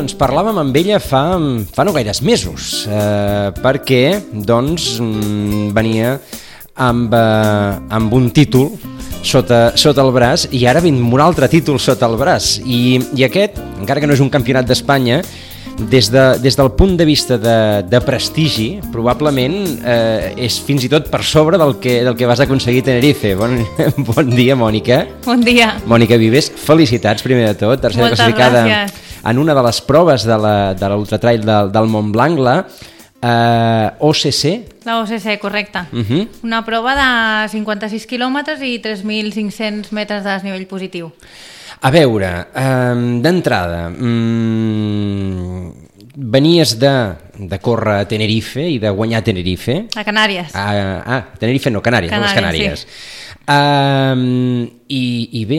doncs parlàvem amb ella fa no gaires mesos, perquè doncs venia amb un títol sota el braç i ara vinc amb un altre títol sota el braç i aquest, encara que no és un campionat d'Espanya, des del punt de vista de prestigi, probablement és fins i tot per sobre del que vas aconseguir a Tenerife. Bon dia, Mònica. Bon dia. Mònica Vives, felicitats primer de tot per ser classificada en una de les proves de l'ultratrail del Mont Blanc, la OCC. La OCC, correcte. Una prova de 56 quilòmetres i 3.500 metres de desnivell positiu. A veure, d'entrada, venies de córrer a Tenerife i de guanyar a Tenerife. A Canàries. Tenerife no, Canàries, les Canàries. Sí. I bé,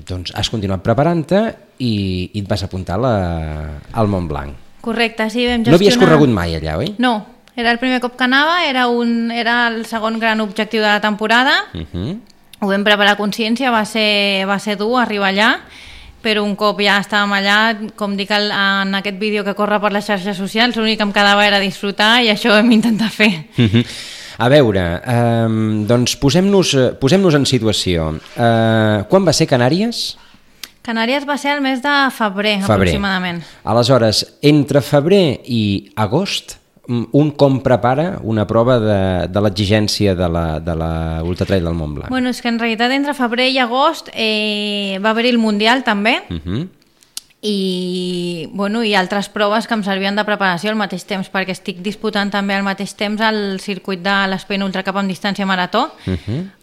doncs has continuat preparant-te i et vas apuntar al Mont Blanc. Correcte, sí, vam gestionar... No havies corregut mai allà, oi? No, era el primer cop que anava, era el segon gran objectiu de la temporada. Ho vam preparar a consciència, va ser dur arribar allà, però un cop ja estàvem allà, com dic en aquest vídeo que corre per les xarxes socials, l'únic que em quedava era disfrutar i això ho vam intentar fer. A veure, doncs posem-nos en situació. Quan va ser Canàries? Canàries va ser el mes de febrer. Aproximadament. Aleshores, entre febrer i agost, un com prepara una prova de l'exigència de l'ultratrail del Mont Blanc? Bueno, és que en realitat entre febrer i agost va haver-hi el Mundial també, i altres proves que em servien de preparació al mateix temps, perquè estic disputant també al mateix temps el circuit de l'Espen Ultra Cup amb distància marató.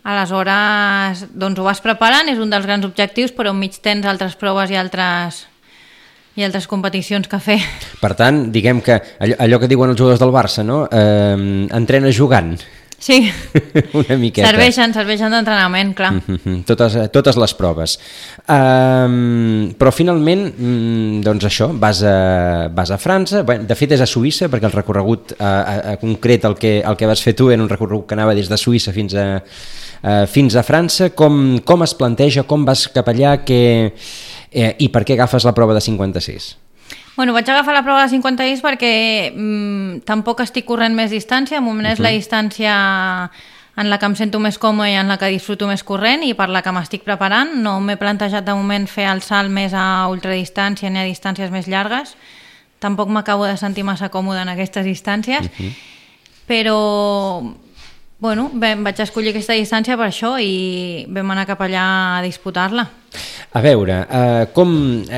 Aleshores, doncs ho vas preparant, és un dels grans objectius, però enmig tens altres proves i altres competicions que fer. Per tant, diguem que allò que diuen els jugadors del Barça, no? Entrena jugant. Sí, una miqueta. Serveixen d'entrenament, clar. Totes les proves. Però finalment, doncs això, vas a França, de fet és a Suïssa, perquè el recorregut concret el que vas fer tu era un recorregut que anava des de Suïssa fins a França. Com es planteja, com vas cap allà, i per què agafes la prova de 56? Bueno, vaig agafar la prova de 56 perquè tampoc estic corrent més distància, de moment és la distància en la que em sento més còmode i en la que disfruto més corrent i per la que m'estic preparant. No m'he plantejat de moment fer el salt més a ultradistància ni a distàncies més llargues. Tampoc m'acabo de sentir massa còmode en aquestes distàncies, però bueno, vaig escollir aquesta distància per això i vam anar cap allà a disputar-la. A veure,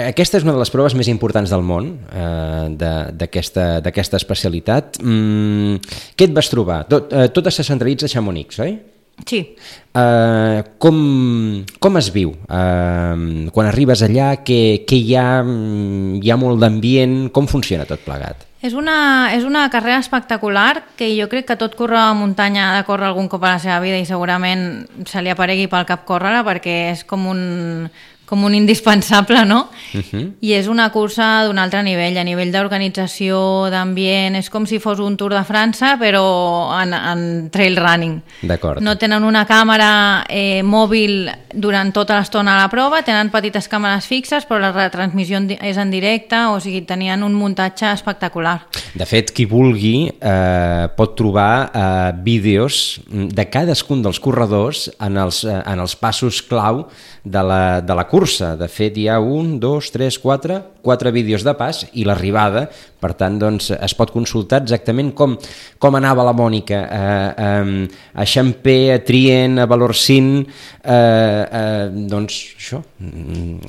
aquesta és una de les proves més importants del món, d'aquesta especialitat. Què et vas trobar? Tot se centralitza a Chamonix, oi? Sí. Com es viu? Quan arribes allà, què hi ha? Hi ha molt d'ambient? Com funciona tot plegat? És una carrera espectacular que jo crec que tot corredor de muntanya ha de córrer algun cop a la seva vida i segurament se li aparegui pel cap córrer-la perquè és com un indispensable, no? I és una cursa d'un altre nivell, a nivell d'organització, d'ambient, és com si fos un Tour de França, però en trail running. D'acord. No tenen una càmera mòbil durant tota l'estona a la prova, tenen petites càmeres fixes, però la retransmissió és en directe, o sigui, tenien un muntatge espectacular. De fet, qui vulgui pot trobar vídeos de cadascun dels corredors en els passos clau de la cursa. De fet, hi ha 1, 2, 3, 4 vídeos de pas i l'arribada. Per tant, doncs, es pot consultar exactament com anava la Mònica a Xamper, a Trient, a Valorcine. Doncs això,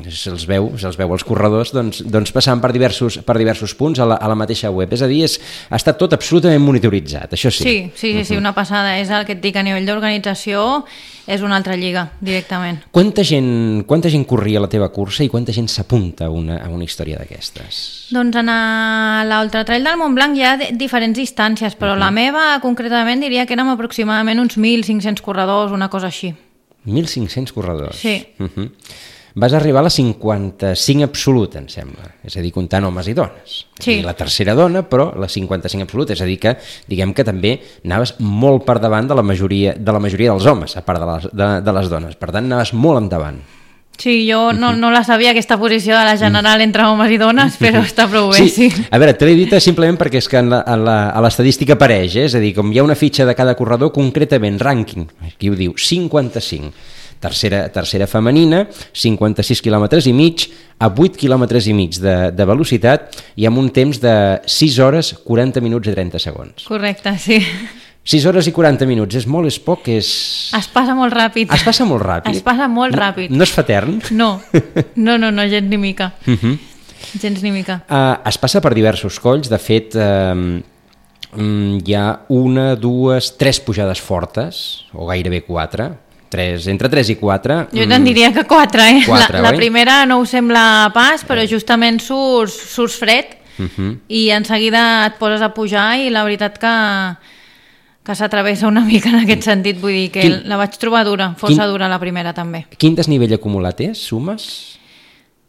se'ls veu els corredors doncs passant per diversos punts a la mateixa web. És a dir, ha estat tot absolutament monitoritzat, això sí. Sí, una passada. És el que et dic, a nivell d'organització és una altra lliga, directament. Quanta gent corria la teva cursa i quanta gent s'apunta a una història d'aquestes? Doncs en l'Ultratrail del Mont Blanc hi ha diferents distàncies, però la meva concretament diria que érem aproximadament uns 1.500 corredors, una cosa així. 1.500 corredors? Sí. Vas arribar a la 55 absoluta, em sembla. És a dir, comptant homes i dones. Sí. La tercera dona, però la 55 absoluta. És a dir que, diguem que també anaves molt per davant de la majoria dels homes, a part de les dones. Per tant, anaves molt endavant. Sí, jo no la sabia, aquesta posició de la general entre homes i dones, però està prou bé, sí. A veure, te l'he dit simplement perquè és que a l'estadística apareix, és a dir, com hi ha una fitxa de cada corredor, concretament, rànquing, aquí ho diu, 55. Tercera femenina, 56 quilòmetres i mig, a 8 quilòmetres i mig de velocitat i amb un temps de 6 hores, 40 minuts i 30 segons. Correcte, sí. 6 hores i 40 minuts, és molt, és poc, és... Es passa molt ràpid. Es passa molt ràpid. Es passa molt ràpid. No es fa etern? No, gens ni mica. Gens ni mica. Es passa per diversos colls, de fet hi ha 1, 2, 3 pujades fortes, o gairebé 4, entre 3 i 4. Jo te'n diria que 4, eh? 4, la primera no ho sembla pas, però justament surts fred i en seguida et poses a pujar i la veritat que s'atravessa una mica en aquest sentit, vull dir que la vaig trobar dura, força dura la primera també. Quin desnivell acumulat és, sumes?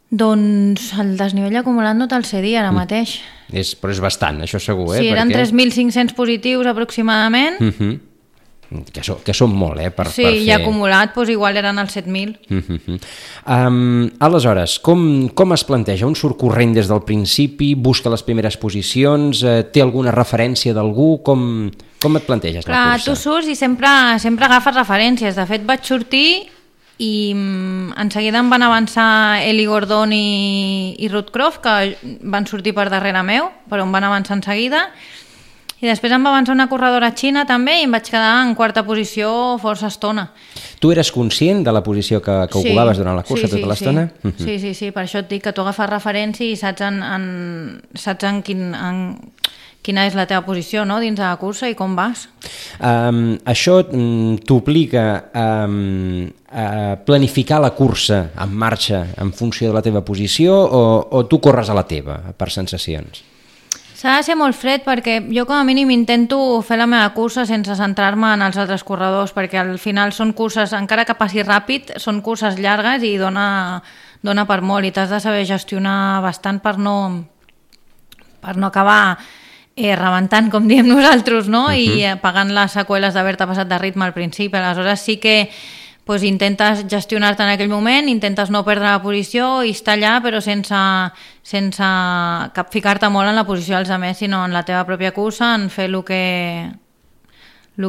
Doncs el desnivell acumulat no te'l sé dir ara mateix. Però és bastant, això segur, Sí, eren 3.500 positius aproximadament. Que són molt, per fer... Sí, i acumulat doncs igual eren els 7.000. Aleshores, com es planteja? Un surt corrent des del principi, busca les primeres posicions, té alguna referència d'algú? Com et planteges la cursa? Tu surts i sempre agafes referències. De fet, vaig sortir i en seguida em van avançar Eli Gordon i Ruth Croft, que van sortir per darrere meu, però em van avançar en seguida. I després em va avançar una corredora xina també i em vaig quedar en quarta posició força estona. Tu eres conscient de la posició que ocupaves durant la cursa tota l'estona? Sí, per això et dic que tu agafes referència i saps en quina és la teva posició, no?, dins de la cursa i com vas. Això t'obliga a planificar la cursa en marxa en funció de la teva posició o tu corres a la teva, per sensacions? S'ha de ser molt fred perquè jo com a mínim intento fer la meva cursa sense centrar-me en els altres corredors, perquè al final són curses, encara que passi ràpid, són curses llargues i dona per molt i t'has de saber gestionar bastant per no acabar rebentant, com diem nosaltres, no? I pagant les seqüeles d'haver-te passat de ritme al principi. Aleshores sí que intentes gestionar-te en aquell moment, intentes no perdre la posició i estar allà, però sense ficar-te molt en la posició dels altres, sinó en la teva pròpia cursa, en fer el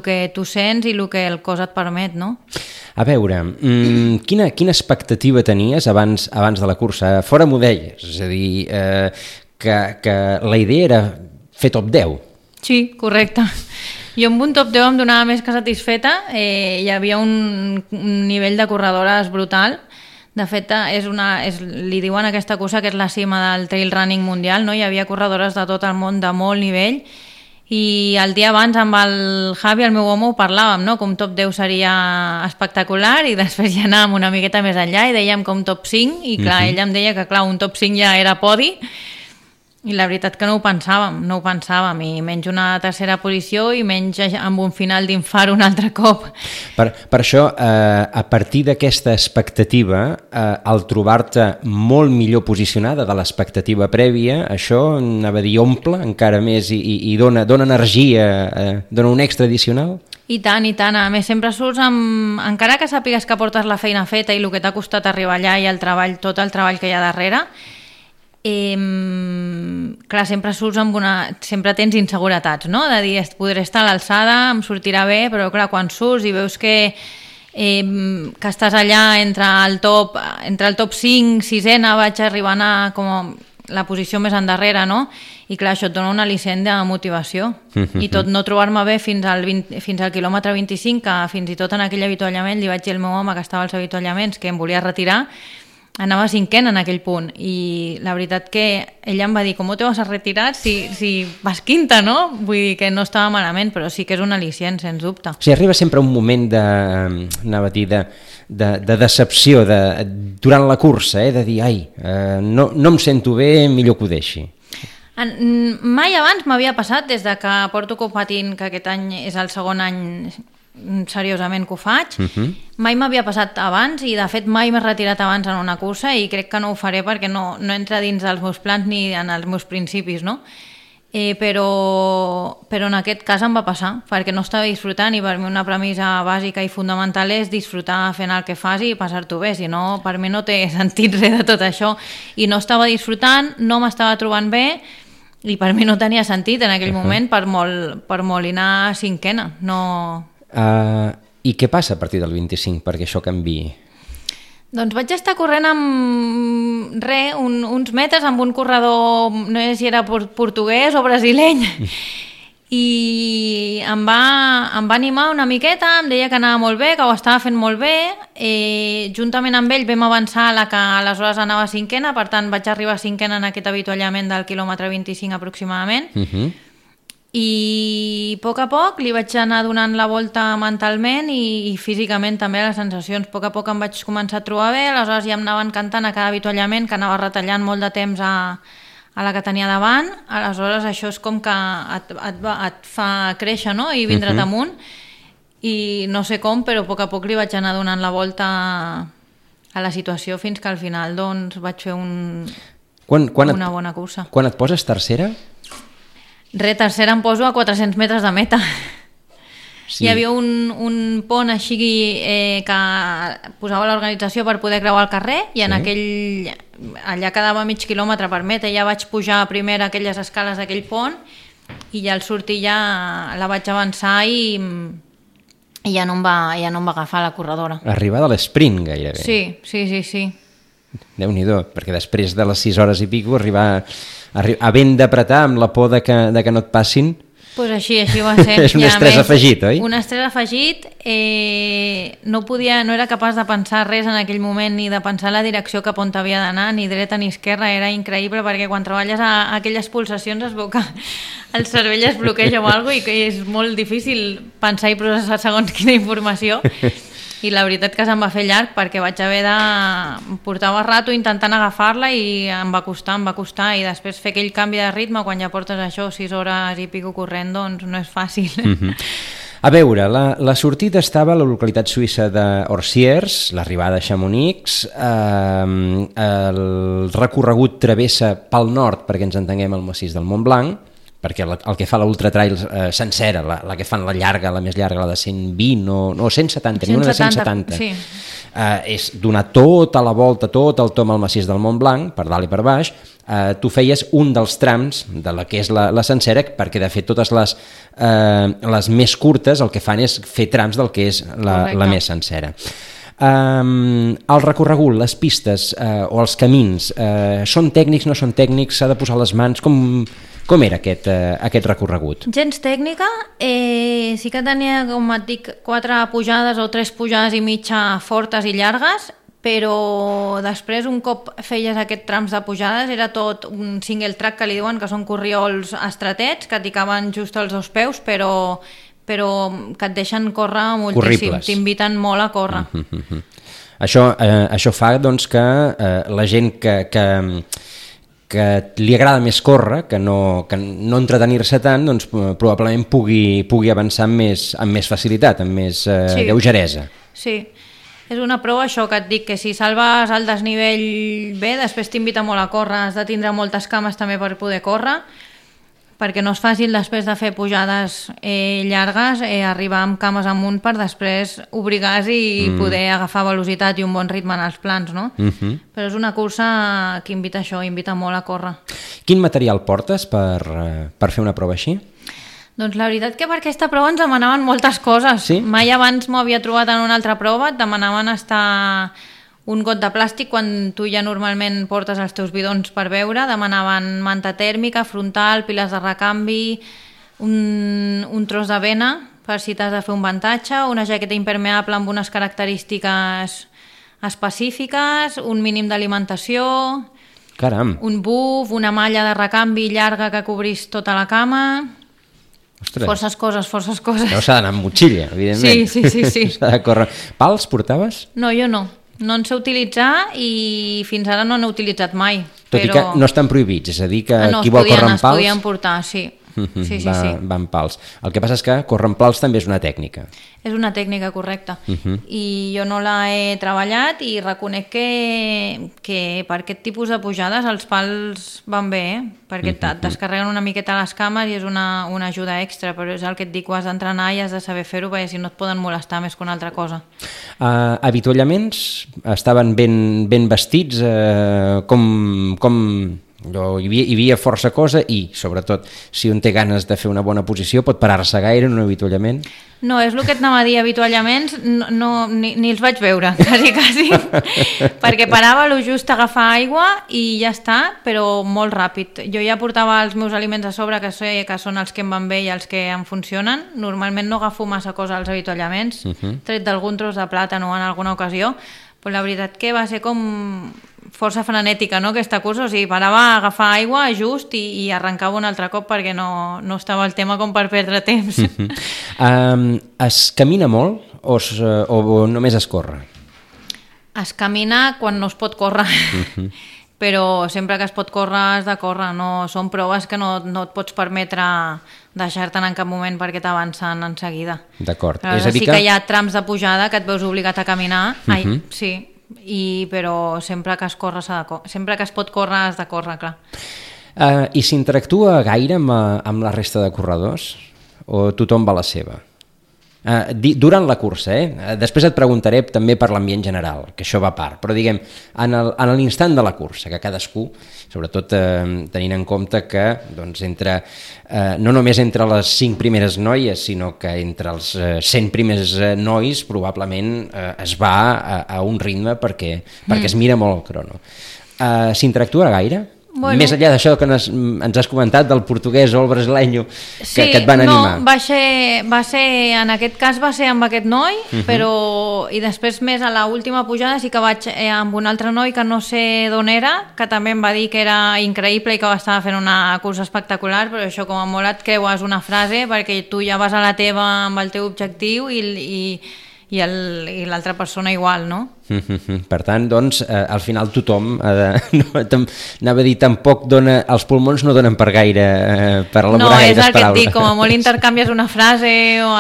que tu sents i el que el cos et permet, no? A veure, quina expectativa tenies abans de la cursa? Fora m'ho deies, és a dir, que la idea era fer top 10. Sí, correcte. Jo amb un top 10 em donava més que satisfeta, hi havia un nivell de corredores brutal. De fet, li diuen aquesta cursa que és la cima del trail running mundial, no? Hi havia corredores de tot el món de molt nivell i el dia abans amb el Javi, el meu home, ho parlàvem, no? Com top 10 seria espectacular i després ja anàvem una miqueta més enllà i dèiem com top 5 i clar, ella em deia que clar, un top 5 ja era podi. I la veritat que no ho pensàvem, i menys una tercera posició i menys amb un final d'infart un altre cop. Per això, a partir d'aquesta expectativa, al trobar-te molt millor posicionada de l'expectativa prèvia, això, anava a dir, omple encara més i dona energia, dona un extra addicional? I tant. A més, sempre surts encara que sàpigues que portes la feina feta i el que t'ha costat arribar allà i tot el treball que hi ha darrere, clar, sempre tens inseguretats, no? De dir, podré estar a l'alçada, em sortirà bé, però clar, quan surts i veus que estàs allà entre el top 5, 6ena, vaig arribant a com la posició més endarrere, no? I clar, això et dona un al·licient de motivació. I tot no trobar-me bé fins al quilòmetre 25, que fins i tot en aquell avituallament li vaig dir al meu home que estava als avituallaments que em volia retirar, anava cinquena en aquell punt i la veritat que ella em va dir ¿cómo te vas a retirar si vas quinta, no? Vull dir que no estava malament, però sí que és un al·licient, sens dubte. O sigui, arriba sempre un moment de decepció durant la cursa, de dir, no em sento bé, millor que ho deixi. Mai abans m'havia passat, des de que porto competint, que aquest any és el segon any seriosament que ho faig, mai m'havia passat abans i de fet mai m'he retirat abans en una cursa i crec que no ho faré perquè no entra dins dels meus plans ni en els meus principis, no? però en aquest cas em va passar, perquè no estava disfrutant, i per mi una premissa bàsica i fundamental és disfrutar fent el que fas i passar-t'ho bé, si no, per mi no té sentit res de tot això, i no estava disfrutant, no m'estava trobant bé, i per mi no tenia sentit en aquell moment, per molt anar cinquena. I què passa a partir del 25 perquè això canviï? Doncs vaig estar corrent amb uns metres amb un corredor, no sé si era portuguès o brasileny, i em va animar una miqueta, em deia que anava molt bé, que ho estava fent molt bé, juntament amb ell vam avançar a la que aleshores anava cinquena, per tant vaig arribar cinquena en aquest avituallament del quilòmetre 25 aproximadament, i a poc li vaig anar donant la volta mentalment i físicament també les sensacions. A poc em vaig començar a trobar bé, aleshores ja em anava encantant a cada avituallament, que anava retallant molt de temps a la que tenia davant, aleshores això és com que et fa créixer, no? I vindre't amunt, i no sé com, però a poc li vaig anar donant la volta a la situació fins que al final doncs vaig fer una bona cursa. Quan et poses tercera? Tercera em poso a 400 metres de meta. Sí. Hi havia un pont així que posava l'organització per poder creuar el carrer, i en allà quedava mig quilòmetre per meta, ja vaig pujar primer a aquelles escales d'aquell pont, i ja al sortir ja la vaig avançar i ja no em va agafar la corredora. Arribar de l'esprint gairebé. Sí. Déu-n'hi-do, perquè després de les 6 hores i pico arribar havent d'apretar amb la por de que no et passin, pues així va ser. És un estrès afegit, oi? Un estrès afegit, no era capaç de pensar res en aquell moment, ni de pensar la direcció cap on havia d'anar, ni dreta ni esquerra, era increïble, perquè quan treballes a aquelles pulsacions es veu que el cervell es bloqueja o alguna cosa, i que és molt difícil pensar i processar segons quina informació. I la veritat que se'm va fer llarg, perquè vaig haver de... Portava rato intentant agafar-la i em va costar, i després fer aquell canvi de ritme quan ja portes això 6 hores i pico corrent, doncs no és fàcil. A veure, la sortida estava a la localitat suïssa d'Orsiers, l'arribada a Chamonix, el recorregut travessa pel nord, perquè ens entenguem, el massís del Mont Blanc, perquè el que fa l'Ultra Trail sencera, la que fan la més llarga, la de 120 o 170, n'hi ha una de 170, sí. És donar tota la volta, tot el tom al massís del Mont Blanc, per dalt i per baix. Tu feies un dels trams de la que és la sencera, perquè de fet totes les més curtes el que fan és fer trams del que és la més sencera. El recorregut, les pistes o els camins, són tècnics, no són tècnics, s'ha de posar les mans, com era aquest recorregut? Gens tècnica, sí que tenia, com et dic, 4 pujades o 3 pujades i mitja fortes i llargues, però després, un cop feies aquests trams de pujades, era tot un single track, que li diuen, que són corriols estretets, que t'hi caben just els 2 peus, però que et deixen córrer moltíssim, t'inviten molt a córrer. Això fa doncs, que la gent que li agrada més córrer, que no entretenir-se tant, doncs probablement pugui avançar amb més facilitat, amb més lleugeresa. Sí, és una prova això que et dic, que si salves el desnivell bé, després t'invita molt a córrer, has de tindre moltes cames també per poder córrer, perquè no és fàcil després de fer pujades llargues arribar amb cames amunt per després obrir gas i poder agafar velocitat i un bon ritme en els plans, no? Però és una cursa que invita molt a córrer. Quin material portes per fer una prova així? Doncs la veritat que per aquesta prova ens demanaven moltes coses. Sí? Mai abans m'ho havia trobat en una altra prova, et demanaven estar un got de plàstic quan tu ja normalment portes els teus bidons per beure, demanaven manta tèrmica, frontal, piles de recanvi, un tros de vena per si t'has de fer un ventatge, una jaqueta impermeable amb unes característiques específiques, un mínim d'alimentació, caram, un buf, una malla de recanvi llarga que cobrís tota la cama. Ostres. Forces coses. No s'ha d'anar amb motxilla, evidentment. Sí. S'ha de córrer. Pals portaves? No, jo no. No en sé utilitzar i fins ara no n'he utilitzat mai. Tot i que no estan prohibits, és a dir, que qui vol córrer amb pals... Es podien portar, sí. Sí. Va en pals. El que passa és que córrer en pals també és una tècnica. És una tècnica correcta. I jo no l'he treballat i reconec que per aquest tipus de pujades els pals van bé, perquè et descarreguen una miqueta les cames i és una ajuda extra, però és el que et dic, ho has d'entrenar i has de saber fer-ho, perquè si no et poden molestar més que una altra cosa. Avituallaments estaven ben vestits? Com hi havia força cosa i, sobretot, si un té ganes de fer una bona posició, pot parar-se gaire en un avituallament? No, és el que et anava a dir, avituallaments, ni els vaig veure, quasi, perquè parava lo just a agafar aigua i ja està, però molt ràpid. Jo ja portava els meus aliments a sobre, que sé que són els que em van bé i els que em funcionen. Normalment no agafo massa cosa als avituallaments, tret d'algun tros de plàtan o en alguna ocasió, però la veritat que va ser com força frenètica, no?, aquesta cursa, o sigui, parava a agafar aigua just i arrencava un altre cop perquè no estava el tema com per perdre temps. Es camina molt o només es corre? Es camina quan no es pot córrer, però sempre que es pot córrer has de córrer, no, són proves que no et pots permetre deixar-te'n en cap moment perquè t'avancen en seguida. D'acord. És a dir que hi ha trams de pujada que et veus obligat a caminar, sí, però sempre que es corre sempre que es pot córrer has de córrer, clar. I s'interactua gaire amb la resta de corredors? O tothom va a la seva? Durant la cursa, després et preguntaré també per l'ambient general, que això va a part, però diguem, en l'instant de la cursa, que cadascú, sobretot tenint en compte que doncs, no només entre les 5 primeres noies, sinó que entre els 100 primers nois probablement es va a un ritme perquè es mira molt el crono. S'interactua gaire? Bueno. Més enllà d'això que ens has comentat del portuguès o el brasileño que et van animar. No, va ser, en aquest cas va ser amb aquest noi, però i després més a l'última pujada sí que vaig amb un altre noi que no sé d'on era, que també em va dir que era increïble i que estava fent una cursa espectacular, però això com a molt et creues una frase perquè tu ja vas a la teva amb el teu objectiu i l'altra persona igual, no? Per tant, doncs, al final tothom anava a dir, tampoc els pulmons no donen per gaire per elaborar gaires paraules. No, és el que et dic, com a molt intercanvies una frase o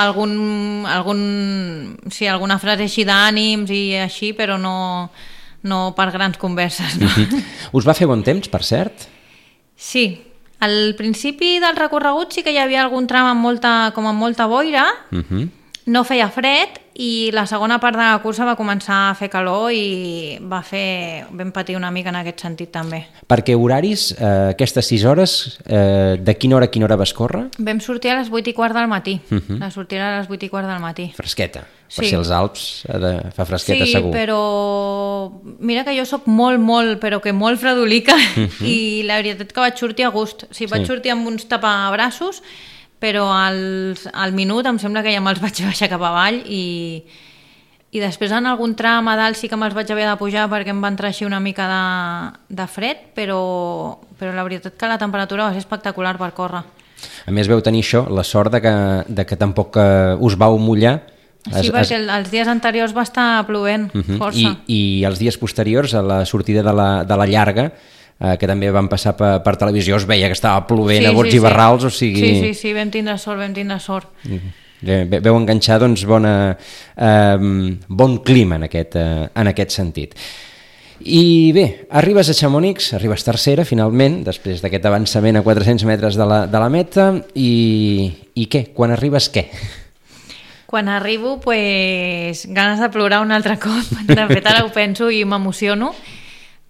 alguna frase així d'ànims i així, però no per grans converses. No? Us va fer bon temps, per cert? Sí, al principi del recorregut sí que hi havia algun tram amb molta boira, no feia fred i la segona part de la cursa va començar a fer calor i vam patir una mica en aquest sentit també. Perquè horaris, aquestes 6 hores, de quina hora a quina hora vas córrer? Vam sortir a les 8:15 del matí. La sortida a les 8:15 del matí. Fresqueta. Per si als Alps fa fresqueta, segur. Sí, però mira que jo sóc però que molt fredolica i la veritat que vaig sortir a gust. O sigui, vaig sortir amb uns tapabraços, però al minut em sembla que ja me'ls vaig baixar cap avall i després en algun tram a dalt sí que me'ls vaig haver de pujar perquè em va entrar així una mica de fred, però la veritat que la temperatura va ser espectacular per córrer. A més veu tenir això, la sort de que tampoc us vau mullar. Sí, perquè els dies anteriors va estar plovent força. I els dies posteriors a la sortida de la llarga, que també van passar per televisió, es veia que estava plovent a bots i barrals, o sigui... Sí, vam tindre sort. Veu enganxar, doncs, bon clima en aquest sentit. I bé, arribes a Chamonix, arribes tercera, finalment, després d'aquest avançament a 400 metres de la meta, i què? Quan arribes, què? Quan arribo, ganes de plorar un altre cop. De fet, ara ho penso i m'emociono,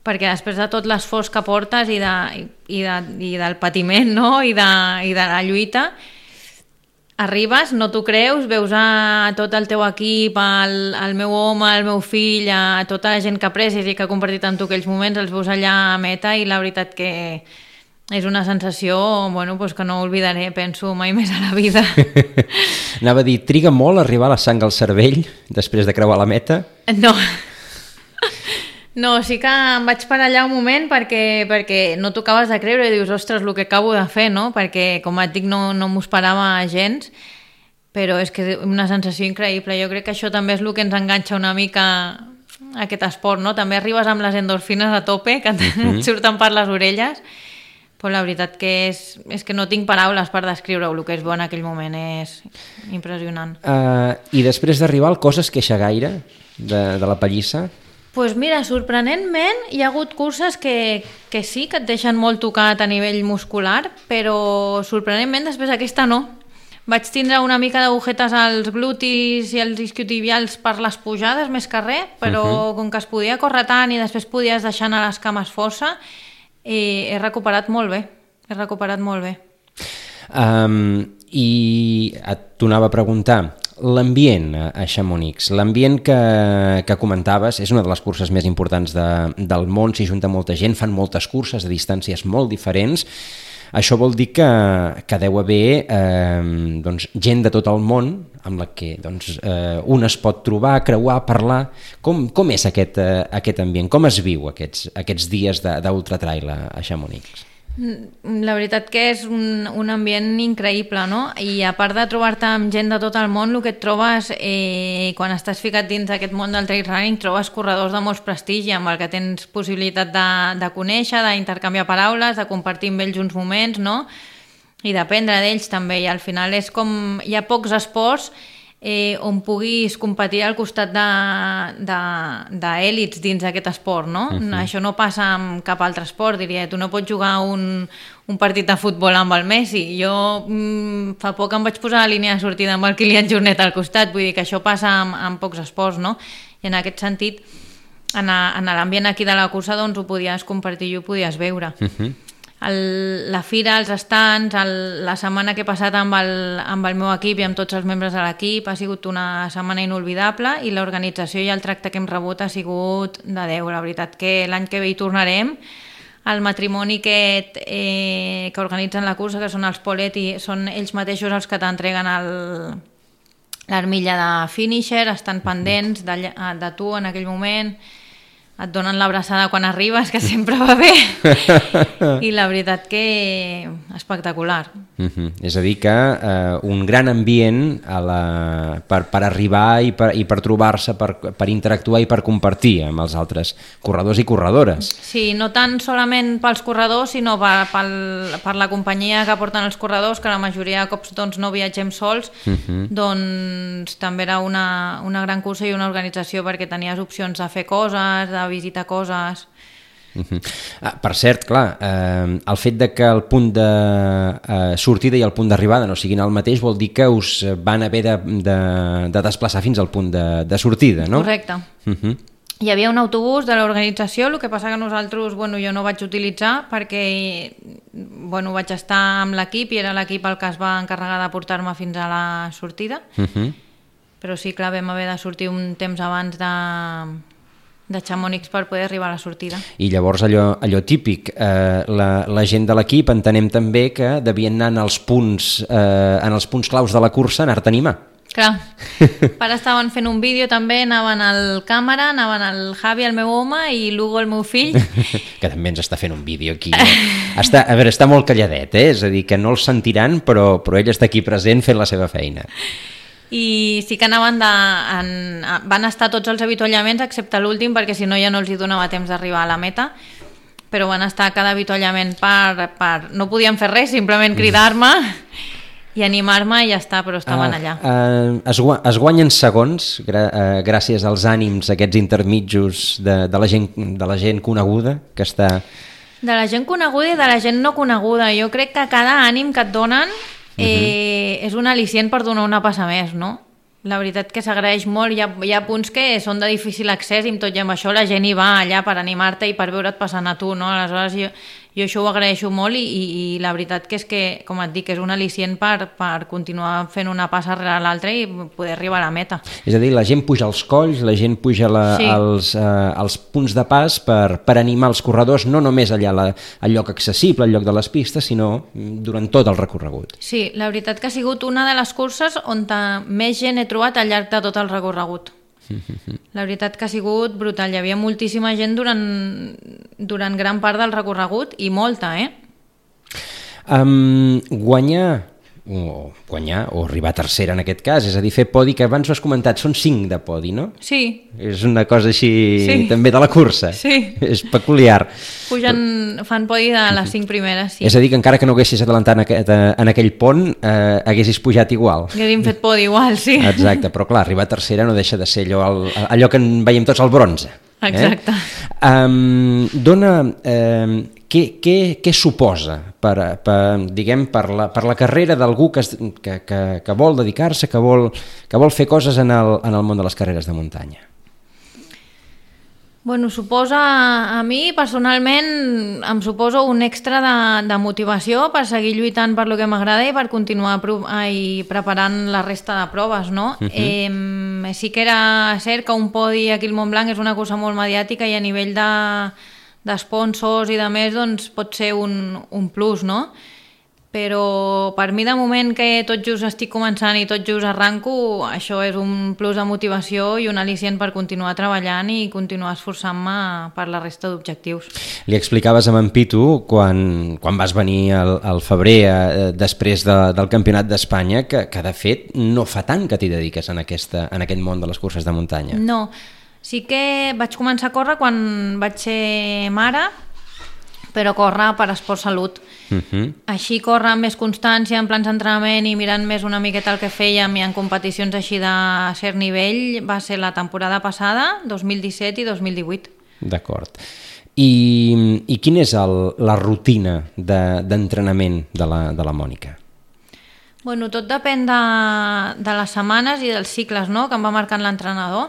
perquè després de tot l'esforç que portes i del patiment, no? I de la lluita, arribes, no t'ho creus, veus a tot el teu equip, el meu home, el meu fill, a tota la gent que aprecies i que ha compartit amb tu aquells moments, els veus allà a meta i la veritat que és una sensació que no oblidaré, penso, mai més a la vida. Anava a dir, triga molt arribar la sang al cervell després de creuar la meta? No, sí que em vaig parar allà un moment perquè no t'ho acabes de creure i dius, ostres, el que acabo de fer, no? Perquè, com et dic, no m'ho esperava gens, però és que és una sensació increïble. Jo crec que això també és el que ens enganxa una mica a aquest esport, no? També arribes amb les endorfines a tope, que et surten per les orelles, Però la veritat que és que no tinc paraules per descriure-ho, el que es veu en aquell moment és impressionant. I després d'arribar, el cos es queixa gaire de la pallissa? Doncs mira, sorprenentment hi ha hagut curses que sí, que et deixen molt tocat a nivell muscular, però sorprenentment després aquesta no. Vaig tindre una mica d'agujetes als glutis i als isquiotibials per les pujades més que res, però com que es podia córrer tant i després podies deixar anar les cames força, he recuperat molt bé, I et tornava a preguntar, l'ambient a Chamonix, l'ambient que comentaves, és una de les curses més importants del món, s'hi junta molta gent, fan moltes curses a distàncies molt diferents. Això vol dir que deu haver gent de tot el món amb la que un es pot trobar, creuar, parlar. Com és aquest ambient? Com es viu aquests dies d'ultratrail a Chamonix? La veritat que és un ambient increïble, no? I a part de trobar-te amb gent de tot el món, el que et trobes quan estàs ficat dins d'aquest món del trail running, trobes corredors de molts prestigi amb el que tens possibilitat de conèixer, d'intercanviar paraules, de compartir amb ells uns moments, no? I d'aprendre d'ells també, i al final és com hi ha pocs esports on puguis competir al costat d'èlits dins d'aquest esport, no? Això no passa amb cap altre esport, diria. Tu no pots jugar un partit de futbol amb el Messi. Jo fa poc em vaig posar a la línia de sortida amb el Kilian Jornet al costat, vull dir que això passa amb pocs esports, no? I en aquest sentit, en l'ambient aquí de la cursa, doncs ho podies compartir i ho podies veure. La fira, els stands, la setmana que he passat amb el meu equip i amb tots els membres de l'equip ha sigut una setmana inolvidable, i l'organització i el tracte que hem rebut ha sigut de Déu. La veritat que l'any que ve hi tornarem. El matrimoni que organitzen la cursa, que són els Poletti, són ells mateixos els que t'entreguen l'armilla de finisher, estan pendents de tu en aquell moment, et donen l'abraçada quan arribes, que sempre va bé, i la veritat que espectacular. És a dir que un gran ambient per arribar i per trobar-se, per interactuar i per compartir amb els altres corredors i corredores. Sí, no tan solament pels corredors, sinó per la companyia que porten els corredors, que la majoria de cops no viatgem sols, doncs també era una gran cursa i una organització, perquè tenies opcions de fer coses, de visitar coses. Per cert, clar, el fet de que el punt de sortida i el punt d'arribada no siguin el mateix vol dir que us van haver de desplaçar fins al punt de sortida, no? Correcte. Hi havia un autobús de l'organització, el que passa que nosaltres, jo no vaig utilitzar perquè vaig estar amb l'equip i era l'equip el que es va encarregar de portar-me fins a la sortida, però sí, clar, vam haver de sortir un temps abans de Chamonix per poder arribar a la sortida. I llavors allò típic, la gent de l'equip entenem també que devien anar en els punts claus de la cursa, anar-te a animar. Clar, ara estaven fent un vídeo també, anaven al càmera, anaven el Javi, el meu home, i l'Hugo, el meu fill. Que també ens està fent un vídeo aquí. Està molt calladet, és a dir, que no el sentiran, però ell està aquí present fent la seva feina. I sí que van estar tots els avituallaments excepte l'últim, perquè si no ja no els hi donava temps d'arribar a la meta, però van estar a cada avituallament no podien fer res, simplement cridar-me i animar-me i ja està, però estaven allà. Es guanyen segons gràcies als ànims aquests intermitjos de la gent coneguda que està... De la gent coneguda i de la gent no coneguda. Jo crec que cada ànim que et donen és un al·licient per donar una passa més, no? La veritat que s'agraeix molt. Hi ha punts que són de difícil accés i amb tot i amb això la gent hi va allà per animar-te i per veure't passant a tu, no? Aleshores jo això ho agraeixo molt i la veritat que és que, com et dic, és un al·licient per continuar fent una passa rere l'altra i poder arribar a la meta. És a dir, la gent puja als colls, la gent puja als punts de pas per animar els corredors, no només allà al lloc accessible, al lloc de les pistes, sinó durant tot el recorregut. Sí, la veritat que ha sigut una de les curses on més gent he trobat al llarg de tot el recorregut. La veritat que ha sigut brutal. Hi havia moltíssima gent durant gran part del recorregut i molta, Guanyar o guanyar, o arribar tercera en aquest cas, és a dir, fer podi, que abans ho has comentat, són 5 de podi, no? Sí. És una cosa així també de la cursa. Sí. És peculiar. Fan podi de les 5 primeres, sí. És a dir, que encara que no haguessis adelantat en aquell pont, haguessis pujat igual. Haguéssim fet podi igual, sí. Exacte, però clar, arribar tercera no deixa de ser allò que en veiem tots al bronze. Exacte. Què suposa per la carrera d'algú que vol dedicar-se, que vol fer coses en el món de les carreres de muntanya? Bueno, a mi personalment em suposa un extra de motivació per seguir lluitant per lo que m'agrada i per continuar preparant la resta de proves, no? Sí que era cert que un podi aquí al Montblanc és una cosa molt mediàtica i a nivell d'esponsors i de més doncs pot ser un plus, no? Però per mi de moment que tot just estic començant i tot just arranco, això és un plus de motivació i un al·licient per continuar treballant i continuar esforçant-me per la resta d'objectius. Li explicaves a en Pitu quan vas venir al febrer després del Campionat d'Espanya que de fet no fa tant que t'hi dediques en aquest món de les curses de muntanya. No, sí que vaig començar a córrer quan vaig ser mare, però córrer per esport salut. Així córrer amb més constància, en plans d'entrenament i mirant més una miqueta el que fèiem i en competicions així de cert nivell va ser la temporada passada, 2017 i 2018. D'acord. I quina és la rutina d'entrenament de la Mònica? Bueno, tot depèn de les setmanes i dels cicles, no?, que em va marcant l'entrenador.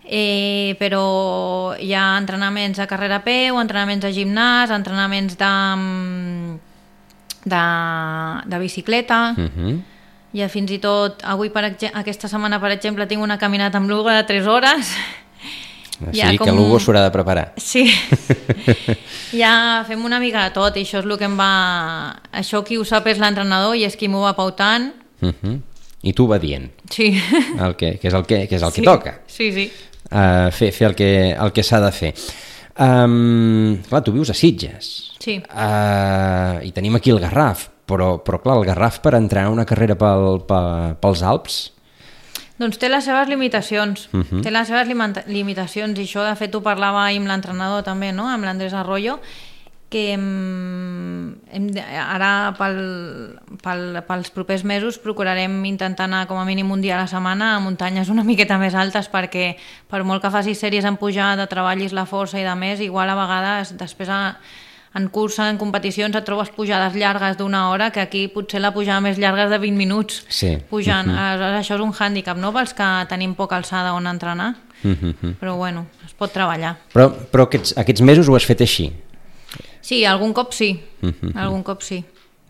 Però hi ha entrenaments de carrera a peu, entrenaments de gimnàs, entrenaments de bicicleta. Hi ha fins i tot, aquesta setmana per exemple tinc una caminata amb l'Hugo de 3 hores. Sí, que l'Hugo s'haurà de preparar. Sí, ja fem una mica de tot i això és el que això qui ho sap és l'entrenador i és qui m'ho va pautant. I tu va dient. Sí. Que és el que toca. Sí, sí. Fer el que s'ha de fer. Clar, tu vius a Sitges. Sí. I tenim aquí el Garraf, però clar, el Garraf per entrar a una carrera pels Alps... Doncs té les seves limitacions. Té les seves limitacions i això de fet ho parlava ahir amb l'entrenador també, no?, amb l'Andrés Arroyo, que ara pels propers mesos procurarem intentar anar com a mínim un dia a la setmana a muntanyes una miqueta més altes perquè per molt que facis sèries en pujada, treballis la força i de més, igual a vegades després en cursa, en competicions et trobes pujades llargues d'1 hora que aquí potser la pujada més llarga és de 20 minuts pujant. Això és un hàndicap, no?, pels que tenim poca alçada on entrenar, però bueno, es pot treballar. Però aquests mesos ho has fet així? Sí, algun cop sí. Algun cop sí.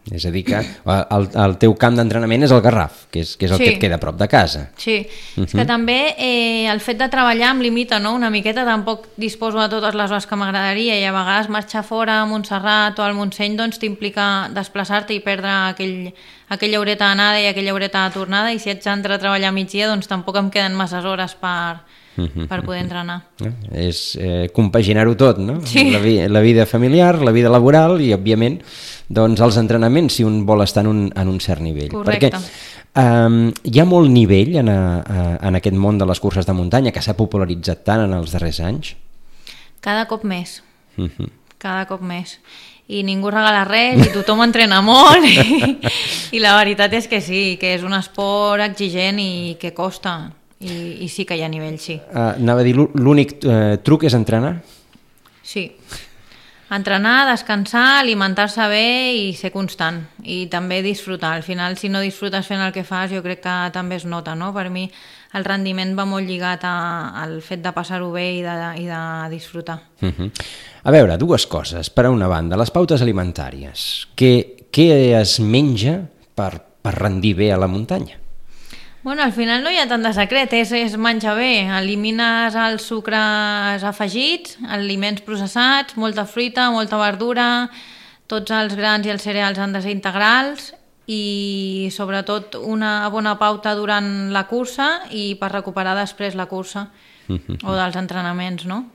És a dir que el teu camp d'entrenament és el Garraf, que és el que et queda a prop de casa. Sí, és que també el fet de treballar em limita, no?, una miqueta, tampoc disposo de totes les hores que m'agradaria i a vegades marxar fora a Montserrat o al Montseny doncs t'implica desplaçar-te i perdre aquella horeta d'anada i aquella horeta de tornada i si haig d'entrar a treballar a migdia doncs tampoc em queden masses hores per poder entrenar. És compaginar-ho tot, no? Sí. La vida familiar, la vida laboral i, òbviament, doncs els entrenaments si un vol estar en un cert nivell. Correcte. Perquè hi ha molt nivell en aquest món de les curses de muntanya que s'ha popularitzat tant en els darrers anys? Cada cop més. Cada cop més. I ningú regala res i tothom entrena molt i la veritat és que sí, que és un esport exigent i que costa. I sí que hi ha nivell, sí. Anava a dir, l'únic truc és entrenar? Sí. Entrenar, descansar, alimentar-se bé i ser constant. I també disfrutar. Al final, si no disfrutes fent el que fas, jo crec que també es nota, no? Per mi el rendiment va molt lligat al fet de passar-ho bé i de disfrutar. A veure, 2 coses. Per una banda, les pautes alimentàries. Què es menja per rendir bé a la muntanya? Bueno, al final no hi ha tant de secret, és menjar bé, elimines els sucres afegits, aliments processats, molta fruita, molta verdura, tots els grans i els cereals han de ser integrals i sobretot una bona pauta durant la cursa i per recuperar després la cursa o dels entrenaments, no?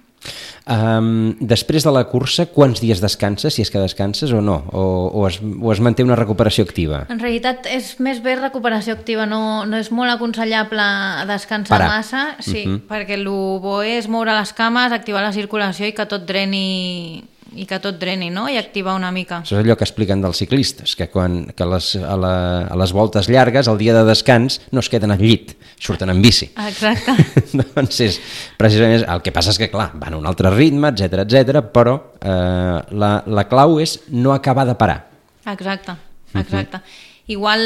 Després de la cursa, quants dies descanses, si és que descanses o no? O es manté una recuperació activa? En realitat és més bé recuperació activa, no és molt aconsellable descansar massa, sí, perquè el bo és moure les cames, activar la circulació i que tot dreni no? I activar una mica. Això és allò que expliquen dels ciclistes, que a les voltes llargues, el dia de descans, no es queden al llit, surten en bici. Exacte. Doncs és precisament el que passa és que, clar, van a un altre ritme, etc, però la clau és no acabar de parar. Exacte. Igual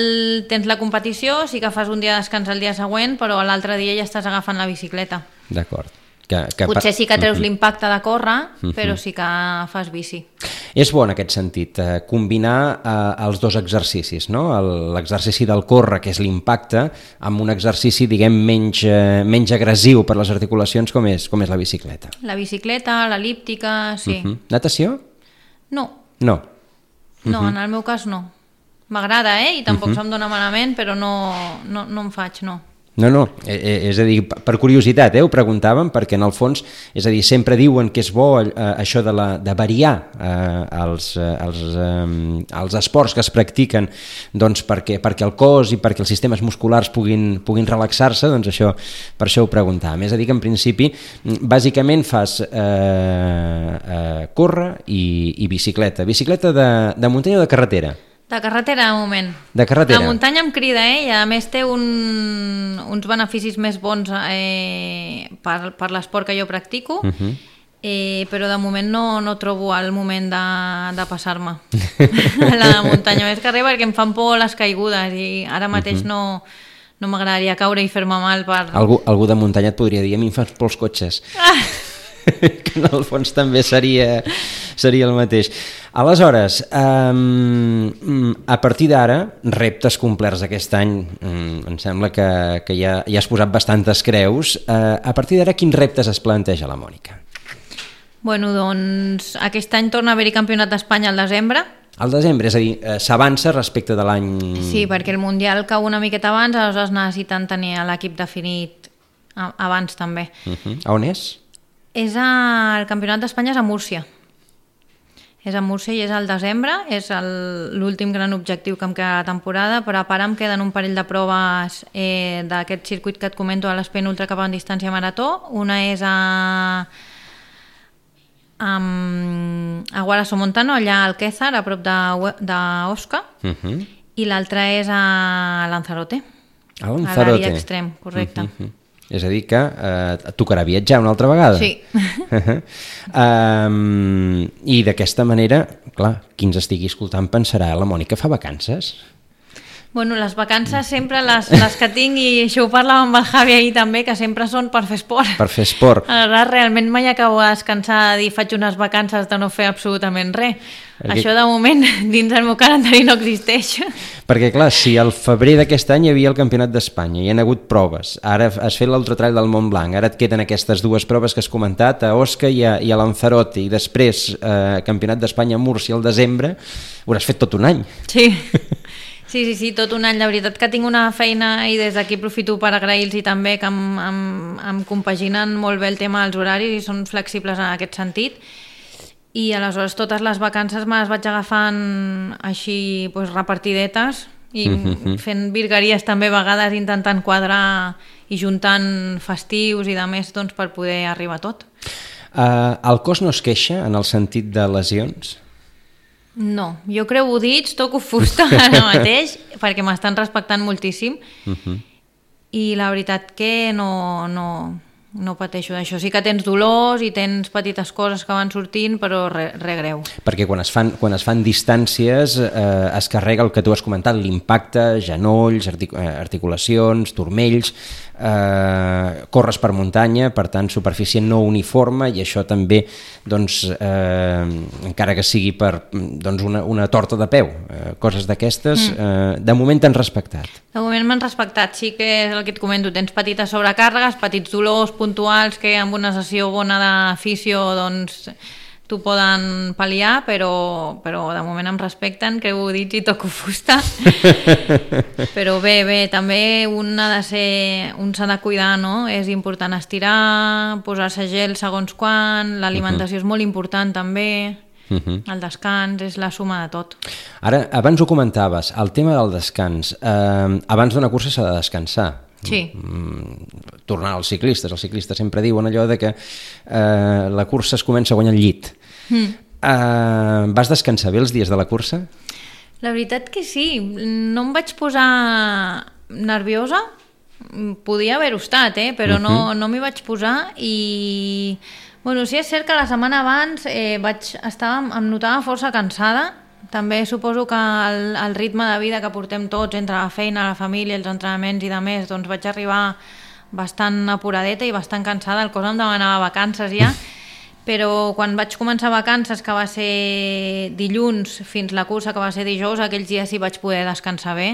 tens la competició, sí que fas un dia de descans el dia següent, però l'altre dia ja estàs agafant la bicicleta. D'acord. Potser sí que treus l'impacte de córrer, però sí que fas bici. És bo en aquest sentit combinar els dos exercicis, no? L'exercici del córrer, que és l'impacte, amb un exercici, diguem, menys agressiu per les articulacions, com és la bicicleta. La bicicleta, l'el·líptica, sí. Natació? No. No? No, en el meu cas no. M'agrada, i tampoc se'm dona malament, però no em faig, no. No, és a dir, per curiositat, ho preguntàvem, perquè en el fons, és a dir, sempre diuen que és bo això de variar els esports que es practiquen, doncs perquè el cos i perquè els sistemes musculars puguin relaxar-se, doncs això, per això ho preguntàvem. És a dir, que en principi, bàsicament fas córrer i bicicleta. Bicicleta de muntanya o de carretera? De carretera, de moment. De carretera. La muntanya em crida, i a més té uns beneficis més bons per l'esport que jo practico, però de moment no trobo el moment de passar-me a la muntanya. Més que res perquè em fan por les caigudes i ara mateix no m'agradaria caure i fer-me mal per... Algú de muntanya et podria dir, a mi em fas por els cotxes. Que en el fons també seria el mateix. Aleshores, a partir d'ara, reptes complerts aquest any, em sembla que ja has posat bastantes creus. A partir d'ara, quins reptes es planteja la Mònica? Bueno, doncs aquest any torna a haver-hi campionat d'Espanya al desembre. Al desembre, és a dir, s'avança respecte de l'any... Sí, perquè el Mundial cau una miqueta abans, aleshores necessiten tenir l'equip definit abans també. A on és? El Campionat d'Espanya és a Múrcia. És a Múrcia i és al desembre, és l'últim gran objectiu que em queda a la temporada, però a part em queden un parell de proves d'aquest circuit que et comento a l'Espen Ultra cap a distància marató. Una és a Guarasomontano, allà al Quézar, a prop d'Osca, i l'altra és a Lanzarote, a Lanzarote, a l'Avi Extrem, correcte. És a dir que et tocarà viatjar una altra vegada. Sí. I d'aquesta manera, clar, qui ens estigui escoltant pensarà, la Mònica fa vacances? Bueno, les vacances sempre les que tinc, i això ho parlàvem amb el Javi ahir també, que sempre són per fer esport. Per fer esport. Aleshores, realment mai acabo de descansar, de dir faig unes vacances de no fer absolutament res. Això de moment dins el meu calendari no existeix. Perquè clar, si al febrer d'aquest any hi havia el Campionat d'Espanya, hi ha hagut proves, ara has fet l'Ultratrail del Mont Blanc, ara et queden aquestes dues proves que has comentat, a Osca i a Lanzarote, i després Campionat d'Espanya a Múrcia al desembre, ho has fet tot un any. Sí. Sí, tot un any. La veritat que tinc una feina i des d'aquí aprofito per agrair-los també que em compaginen molt bé el tema dels horaris i són flexibles en aquest sentit. I aleshores totes les vacances me les vaig agafant així repartidetes i fent virgueries també a vegades, intentant quadrar i juntant festius i de més per poder arribar a tot. El cos no es queixa en el sentit de lesions? No, jo creuo dits, toco fusta ara mateix perquè m'estan respectant moltíssim i la veritat que no pateixo d'això. Sí que tens dolors i tens petites coses que van sortint, però res greu. Perquè quan es fan distàncies es carrega el que tu has comentat, l'impacte, genolls, articulacions, turmells, corres per muntanya, per tant superfície no uniforme, i això també encara que sigui per una torta de peu, coses d'aquestes, de moment t'han respectat. De moment m'han respectat, sí que és el que et comento, tens petites sobrecàrregues, petits dolors puntuals que amb una sessió bona de fisio t'ho poden pal·liar, però de moment em respecten, creu dits i toco fusta. Però bé, també un s'ha de cuidar, no? És important estirar, posar-se gel segons quan, l'alimentació és molt important també, el descans és la suma de tot. Ara, abans ho comentaves, el tema del descans. Abans d'una cursa s'ha de descansar. Sí. Tornar als ciclistes. Els ciclistes sempre diuen allò de que la cursa es comença a guanyar el llit. Vas descansar bé els dies de la cursa? La veritat que sí. No em vaig posar nerviosa. Podia haver-ho estat, però no m'hi vaig posar i... Bueno, sí, és cert que la setmana abans em notava força cansada. També suposo que el ritme de vida que portem tots entre la feina, la família, els entrenaments i de més, doncs vaig arribar bastant apuradeta i bastant cansada, el cos em demanava vacances ja, però quan vaig començar vacances, que va ser dilluns, fins la cursa, que va ser dijous, aquells dies sí vaig poder descansar bé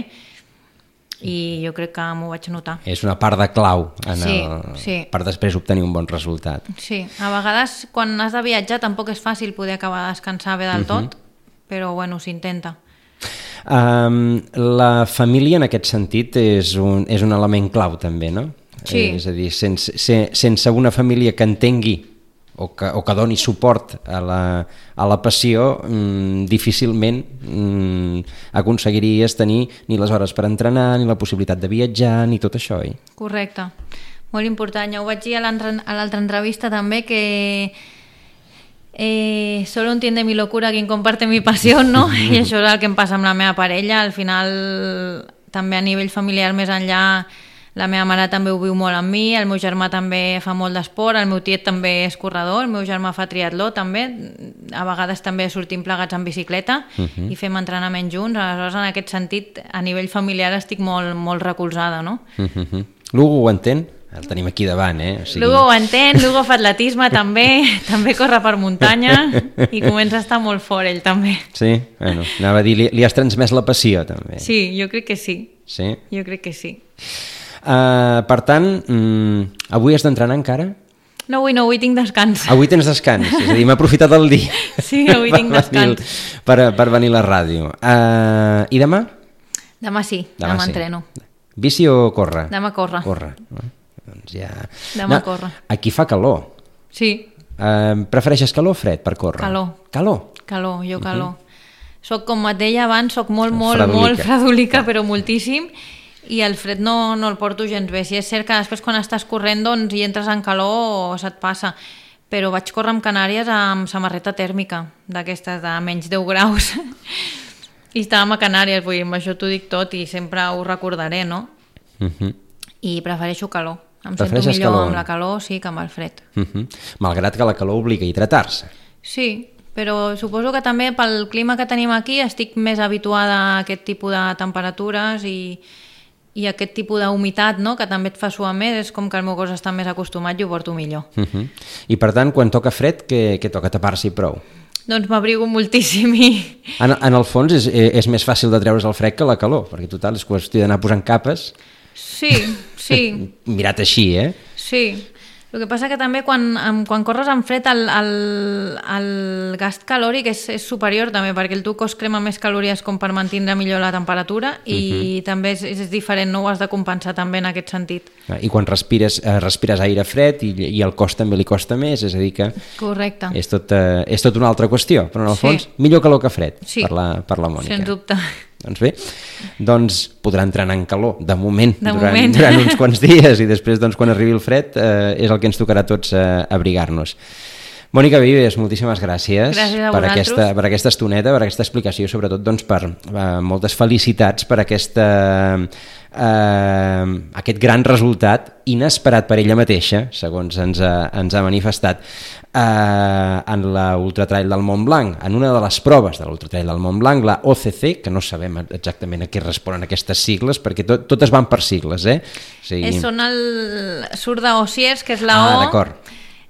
i jo crec que m'ho vaig notar. És una part de clau sí. per després obtenir un bon resultat. Sí, a vegades quan has de viatjar tampoc és fàcil poder acabar de descansar bé del tot, però bueno, s'intenta. La família en aquest sentit és un element clau també, no? Sí. És a dir, sense una família que entengui o que doni suport a la passió, difícilment aconseguiries tenir ni les hores per entrenar, ni la possibilitat de viatjar, ni tot això, oi? Correcte, molt important. Ja ho vaig dir a l'altra entrevista també, que solo entiende mi locura quien comparte mi pasión, no? I això és el que em passa amb la meva parella. Al final, també a nivell familiar més enllà, la meva mare també ho viu molt amb mi, el meu germà també fa molt d'esport, el meu tiet també és corredor, el meu germà fa triatló també, a vegades també sortim plegats en bicicleta i fem entrenament junts. Aleshores, en aquest sentit, a nivell familiar estic molt, molt recolzada, no? L'Hugo ho entén? El tenim aquí davant, O sigui... L'Hugo ho entén, l'Hugo fa atletisme també corre per muntanya i comença a estar molt fort ell també. Sí? Bueno, anava a dir, li has transmès la passió també. Sí, jo crec que sí. Sí? Jo crec que sí. Per tant, avui has d'entrenar encara? No, avui tinc descans. Avui tens descans, és a dir, m'ha aprofitat el dia. Sí, avui tinc descans. Per venir a la ràdio. I demà? Demà sí, demà entreno. Bici o córrer? Demà córrer. Córrer. Doncs ja... Demà córrer. Aquí fa calor. Sí. Prefereixes calor o fred per córrer? Calor. Calor? Calor, jo calor. Soc, com et deia abans, soc molt fredolica, però moltíssim, i el fred no el porto gens bé. Si és cert que després quan estàs corrent doncs, i entres en calor se't passa, però vaig córrer amb Canàries amb samarreta tèrmica, d'aquestes de menys 10 graus, i estàvem a Canàries, vull dir, amb això t'ho dic tot i sempre ho recordaré, no? I prefereixo calor. Em sento millor amb la calor, sí, que amb el fred. Malgrat que la calor obliga a hidratar-se. Sí, però suposo que també pel clima que tenim aquí estic més habituada a aquest tipus de temperatures i aquest tipus d'humitat, no?, que també et fa suar més, és com que el meu cos està més acostumat i ho porto millor. I per tant, quan toca fred, què toca? Tapar-s'hi prou? Doncs m'abrigo moltíssim i... En el fons és més fàcil de treure's el fred que la calor, perquè total és qüestió d'anar posant capes. Sí. Mirat així, Sí. El que passa que també quan corres amb fred el gast calòric és superior també, perquè el teu cos crema més calories com per mantenir millor la temperatura i també és diferent, no ho has de compensar també en aquest sentit. I quan respires aire fred i el cos també li costa més, és a dir que... Correcte. És tot una altra qüestió, però en el fons millor calor que fred, per la Mònica. Sens dubte. Doncs bé, podrà entrenar en calor, de moment, durant uns quants dies, i després, quan arribi el fred, és el que ens tocarà a tots abrigar-nos. Mònica Vives, moltíssimes gràcies per aquesta estoneta, per aquesta explicació, sobretot per moltes felicitats per aquest gran resultat inesperat per ella mateixa, segons ens ha manifestat, en l'Ultratrail del Mont Blanc, en una de les proves de l'Ultratrail del Mont Blanc, la OCC, que no sabem exactament a què responen aquestes sigles, perquè totes van per sigles, Són el Sur d'Ossiers, que és la O... d'acord.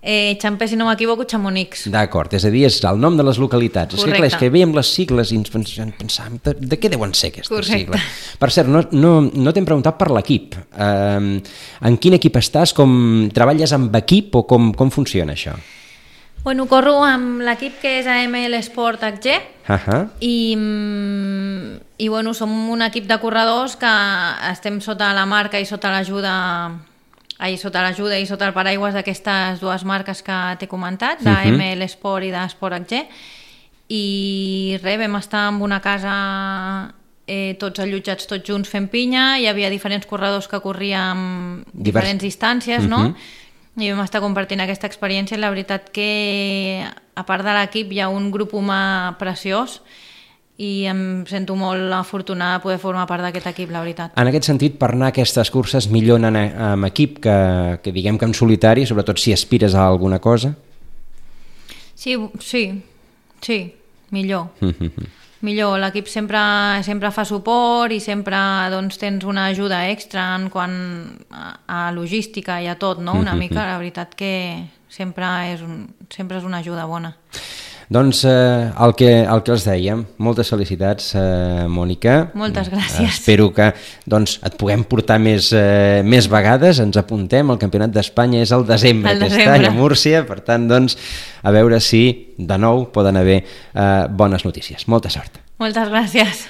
Xampé, si no m'equivoco, Chamonix. D'acord, és a dir, és el nom de les localitats. Correcte. És que veiem les sigles i ens pensàvem de què deuen ser aquestes sigles. Per cert, no t'hem preguntat per l'equip. En quin equip estàs? Treballes amb equip o com funciona això? Bueno, corro amb l'equip que és AML Sport HG i bueno, som un equip de corredors que estem sota la marca i sota l'ajuda i sota el paraigües d'aquestes dues marques que t'he comentat, d'AML Sport i d'Esport HG, i res, vam estar en una casa tots allotjats tots junts fent pinya, hi havia diferents corredors que corrien diferents distàncies, no? I vam estar compartint aquesta experiència i la veritat que a part de l'equip hi ha un grup humà preciós i em sento molt afortunada de poder formar part d'aquest equip, la veritat. En aquest sentit, per anar a aquestes curses millor anar amb equip que diguem que en solitari, sobretot si aspires a alguna cosa? Sí, millor. Millor, l'equip sempre fa suport i sempre doncs, tens una ajuda extra en quant a logística i a tot, no? Una mica, la veritat que sempre és una ajuda bona. Doncs el que els dèiem, moltes felicitats, Mònica. Moltes gràcies. Espero que et puguem portar més vegades, ens apuntem, el Campionat d'Espanya és al desembre aquest any a Múrcia, per tant, a veure si de nou poden haver bones notícies. Molta sort. Moltes gràcies.